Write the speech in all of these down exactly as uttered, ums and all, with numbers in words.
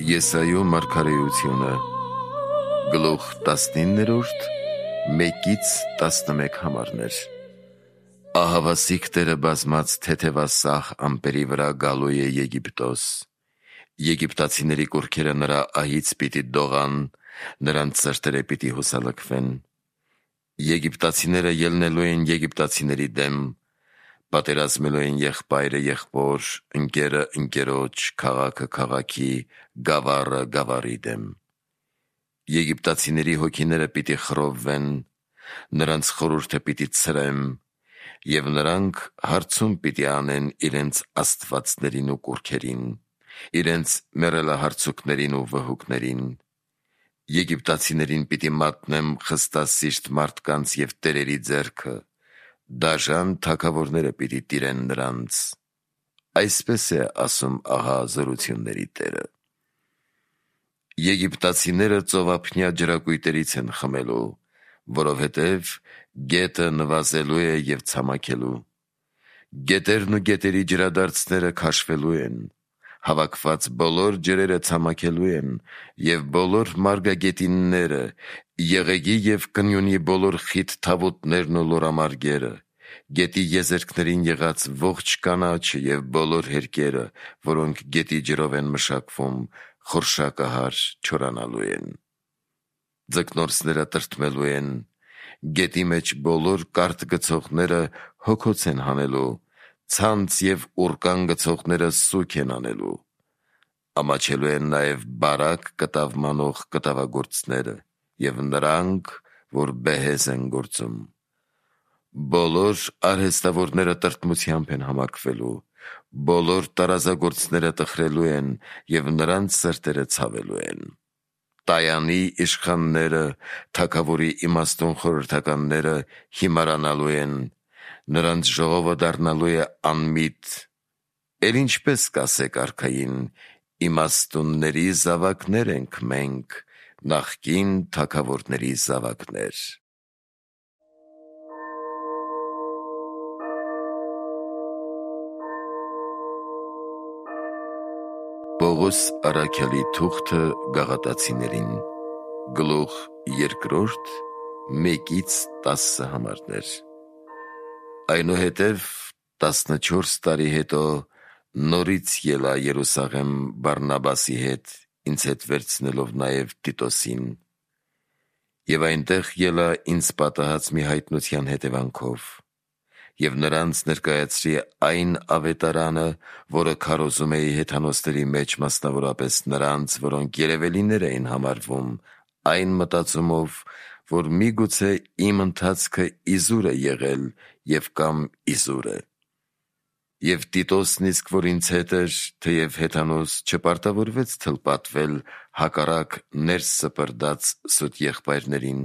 Եսայու մարգարեությունը գլուխ տասնիններորդ մեկից տասնմեկ համարներ։ Ահավասիկ Տերը բազմած թեթևասախ ամպերի վրա գալու է Եգիպտոս։ Եգիպտացիների կուռքերը նրա ահից պիտի դողան, նրանց սրտերը պիտի հուսալքվեն։ Եգիպտացիները ելնելու են եգիպտացիների դեմ, պատերազմելու են եղբայրը եղբոր, ընկերը ընկերոջ, քաղաքը քաղաքի, գավառը գավառի դեմ։ Եգիպտացիների հոգիները պիտի խռովվեն, նրանց խորհուրդը պիտի ցրեմ, և նրանք հարցում պիտի անեն իրենց աստվածներին ու կուռքերին, իրենց մեռելահարցուկներին ու վհուկներին։ Եգիպտացիներին պիտի մատնեմ խստասիրտ մարդկանց և տերերի ձեռքը, դաժան թագավորները պիտի տիրեն նրանց։ Այսպես է ասում ահա զորությունների Տերը։ Եգիպտացիները ծովափնյա ջրակույտերից են խմելու, որովհետև գետը նվազելու է և ցամաքելու։ Գետերն ու գետերի ջրադարձները քաշվելու են, հավաքված բոլոր ջրերը ցամաքելու են, և բոլոր մարգագետինները, եղեգի և կնյունի բոլոր խիտ թավուտներն ու լորամարգերը, գետի եզերքներին եղած ողջ կանաչը և բոլոր հերկերը, որոնք գետի ջրով են մշակվում, խորշակահար չորանալու են։ Ձկնորսները տրտմելու են, գետի մեջ բոլոր կարթ գցողները հոգոց են հանելու, ցանց և ուռկան գցողները սուգ են անելու։ Ամաչելու են նաև բարակ կտավ մանող կտավագործները և նրանք, որ բեհեզ են գործում։ Բոլոր արհեստավորները տրտմությամբ են համակվելու, բոլոր տարազագործները տխրելու են և նրանց սրտերը ցավելու են։ Տայանի իշխանները, թագավորի իմաստուն խորհրդականները հիմարանալու են, նրանց ժողովը դառնալու է անմիտ։ Էլ ինչպես կասեք արքային, իմաստունների զավակներ ենք մենք, նախկին թագավորների զավակներ։ Պողոս առաքյալի թուղթը գաղատացիներին, գլուխ երկրորդ, մեկից տասը համարներ։ Այնուհետև տասնչորս տարի հետո նորից ելա Երուսաղեմ Բարնաբասի հետ, ինձ հետ վերցնելով նաև Տիտոսին, և այնտեղ ելա ինձ պատահած մի հայտնության հետևանքով, և նրանց ներկայացրի այն ավետարանը, որը քարոզում էի հեթանոսների մեջ, մասնավորապես նրանց, որոնք երևելիներ էին համարվում, այն մտածումով, որ միգուցե իմ ընթացքը իզուր է եղել և կամ իզուր է։ Եվ Տիտոսն իսկ, որ ինձ հետ էր, թեև հեթանոս, չպարտավորվեց թլպատվել հակառակ ներս սպրդած սուտ եղբայրներին։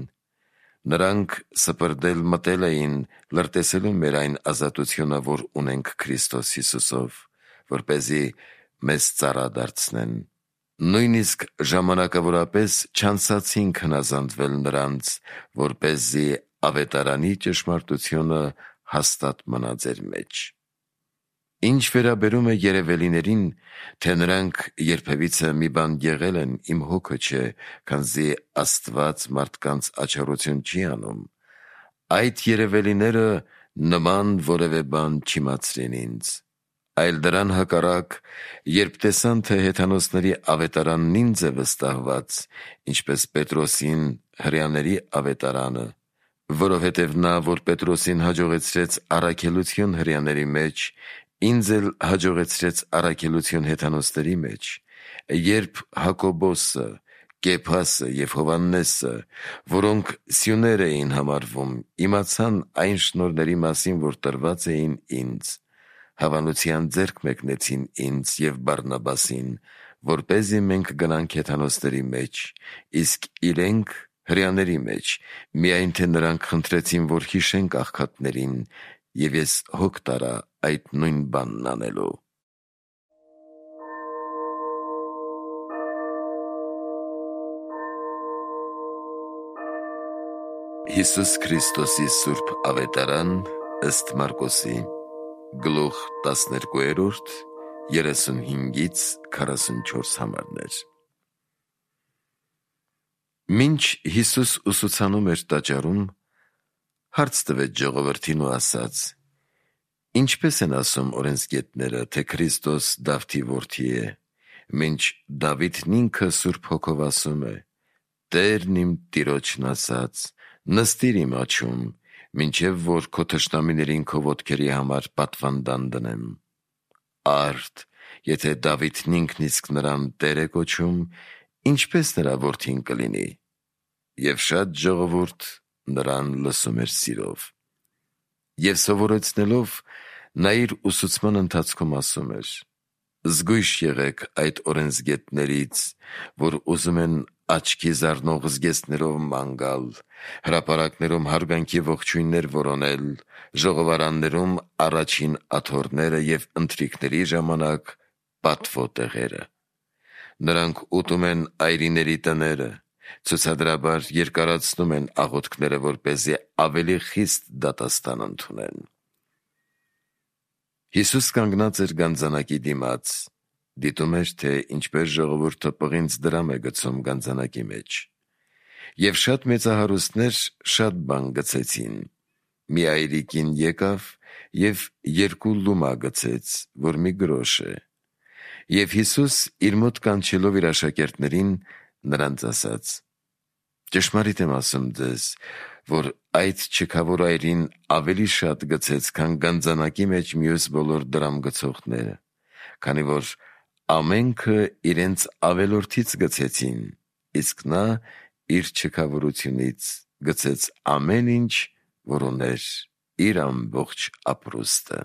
Նրանք սպրդել մտել էին, լրտեսելու մեր այն ազատությունը, որ ունենք Քրիստոս Հիսուսով, որպեսզի մեզ ծառա դարձնեն։ Նույնիսկ ժամանակավորապես չանցացինք հնազանդվել նրանց, որպեսզի ավետարանի ճշմարտությունը հաստատ մնա ձեր մեջ։ Ինչ վերաբերում է երևելիներին, թե նրանք երբևիցե մի բան եղել են, իմ հոգը չէ, քանզի Աստված մարդկանց աչառություն չի անում, այդ երևելիները նման որևէ բան չիմացրին ինձ, այլ դրան հակառակ, երբ տեսան, թե հեթանոսների ավետարանն ինձ է վստահված, ինչպես Պետրոսին հրեաների ավետարանը, որովհետև նա, որ Պետրոսին հաջողեցրեց առաքելություն հրեաների մեջ, ինձ էլ հաջողեցրեց առաքելություն հեթանոսների մեջ, երբ Հակոբոսը, Կեփասը և Հովհաննեսը, որոնք սյուներ էին համարվում, իմացան այն շնորհների մասին, որ տրված էին ինձ, հավանության ձեռք մեկնեցին ինձ և Բարնաբասին, որպեսզի մենք գնանք հեթանոսների մեջ, իսկ իրենք հրեաների մեջ, միայն թե նրանք խնդրեցին, որ հիշենք աղքատներին, և ես հոգ տարա այդ նույն բանն անելու։ Հիսուս Քրիստոսի սուրբ ավետարան ըստ Մարկոսի, գլուխ տասներկուերորդ, երեսունհինգից քառասունչորս համարներ։ Մինչ Հիսուս ուսուցանում էր տաճարում, հարց տվեց ժողովրդին ու ասաց. «Ինչպես են ասում օրենսգետները, թե Քրիստոս Դավթի որդի է, մինչ Դավիթն ինքը Սուրբ Հոգով ասում է. Տերն իմ Տիրոջն ասաց. նստիր իմ աջում, մինչև որ քո թշնամիներին քո ոտքերի համար պատվանդան դնեմ։ Արդ, եթե Դավիթն ինքն իսկ նրան Տեր է կոչում, ինչպես նրա որդին կլինի»։ Եվ շատ ժողովուրդ նրան լսում էր սիրով։ Եվ սովորեցնելով, նա իր ուսուցման ընթացքում ասում էր. «Զգույշ եղեք այդ օրենսգետներից, որ ուզում են աչքի զարնող զգեստներով ման գալ, հրապարակներում հարգանքի ողջույններ որոնել, ժողովարաններում առաջին աթոռները և ընթրիքների ժամանակ պատվո տեղերը։ Նրանք ուտում են այրիների տները, ցուցադրաբար երկարացնում են աղոթքները, որպեսզի ավելի խիստ դատաստան ընդունեն»։ Հիսուս կանգնած էր գանձանակի դիմաց, դիտում էր, թե ինչպես ժողովուրդը պղինձ դրամ է գցում գանձանակի մեջ։ Եվ շատ մեծահարուստներ շատ բան գցեցին։ Մի այրի կին եկավ և երկու լումա գցեց, որ մի գրոշ է։ Եվ Հիսուս իր մոտ կանչելով իր աշակերտներին, նրանց ասաց. «Ճշմարիտ եմ ասում ձեզ, որ այդ չքավոր այրին ավելի շատ գցեց, քան գանձանակի մեջ մյուս բոլոր դրամ գցողները, քանի որ ամենքը իրենց ավելորդից գցեցին, իսկ նա իր չքավորությունից գցեց ամեն ինչ, որ ուներ, իր ամբողջ ապրուստը»։